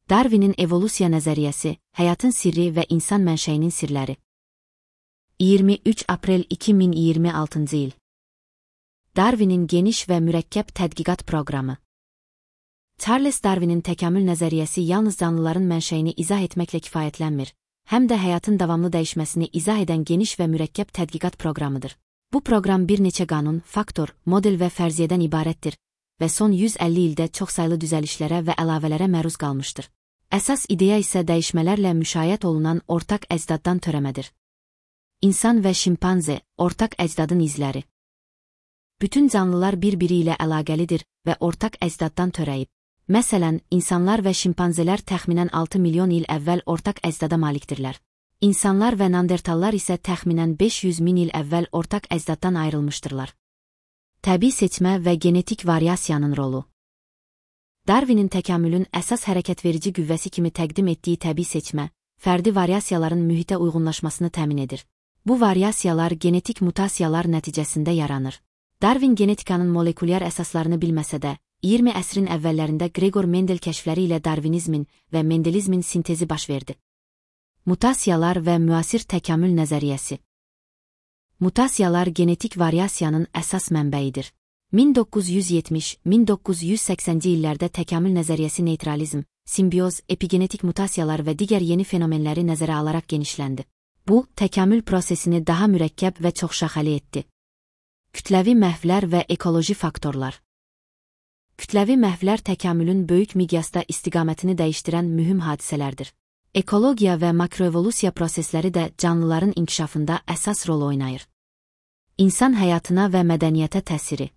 Darwinin evolyusiya nəzəriyyəsi, həyatın sirri və insan mənşəyinin sirləri. 23 aprel 2026-cı il. Darwinin geniş və mürəkkəb tədqiqat proqramı. Charles Darwinin təkamül nəzəriyyəsi yalnız canlıların mənşəyini izah etməklə kifayətlənmir, həm də həyatın davamlı dəyişməsini izah edən geniş və mürəkkəb tədqiqat proqramıdır. Bu proqram bir neçə qanun, faktor, model və fərziyyədən ibarətdir və son 150 ildə çoxsaylı düzəlişlərə və əlavələrə məruz qalmışdır. Əsas ideya isə dəyişmələrlə müşayiət olunan ortaq əcdaddan törəmədir. İnsan və şimpanze, ortaq əcdadın izləri. Bütün canlılar bir-biri ilə əlaqəlidir və ortaq əcdaddan törəyib. Məsələn, insanlar və şimpanzelər təxminən 6 milyon il əvvəl ortaq əcdada malikdirlər. İnsanlar və neandertallar isə təxminən 500 min il əvvəl ortaq əcdaddan ayrılmışdırlar. Təbii seçmə və genetik variasiyanın rolu. Darwinin təkamülün əsas hərəkətverici qüvvəsi kimi təqdim etdiyi təbii seçmə, fərdi variasiyaların mühitə uyğunlaşmasını təmin edir. Bu variasiyalar genetik mutasiyalar nəticəsində yaranır. Darwin genetikanın molekulyar əsaslarını bilməsə də, 20 əsrin əvvəllərində Gregor Mendel kəşfləri ilə darvinizmin və mendelizmin sintezi baş verdi. Mutasiyalar və müasir təkamül nəzəriyyəsi. Mutasiyalar genetik variasiyanın əsas mənbəyidir. 1970-1980-ci illərdə təkamül nəzəriyyəsi neytralizm, simbioz, epigenetik mutasiyalar və digər yeni fenomenləri nəzərə alaraq genişləndi. Bu, təkamül prosesini daha mürəkkəb və çoxşaxəli etdi. Kütləvi məhvlər və ekoloji faktorlar. Kütləvi məhvlər təkamülün böyük miqyasda istiqamətini dəyişdirən mühüm hadisələrdir. Ekologiya və makroevolusiya prosesləri də canlıların inkişafında əsas rol oynayır. İnsan həyatına və mədəniyyətə təsiri.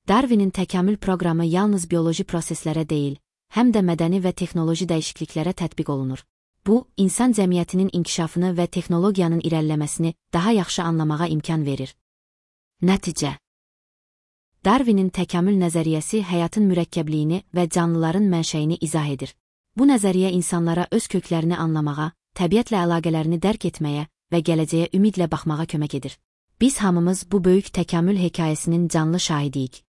Darwinin təkamül proqramı yalnız bioloji proseslərə deyil, həm də mədəni və texnoloji dəyişikliklərə tətbiq olunur. Bu, insan cəmiyyətinin inkişafını və texnologiyanın irəliləməsini daha yaxşı anlamağa imkan verir. Nəticə. Darwinin təkamül nəzəriyyəsi həyatın mürəkkəbliyini və canlıların mənşəyini izah edir. Bu nəzəriyyə insanlara öz köklərini anlamağa, təbiətlə əlaqələrini dərk etməyə və gələcəyə ümidlə baxmağa kömək edir. Biz hamımız bu böyük təkamül hekayəsinin canlı şahidiyik.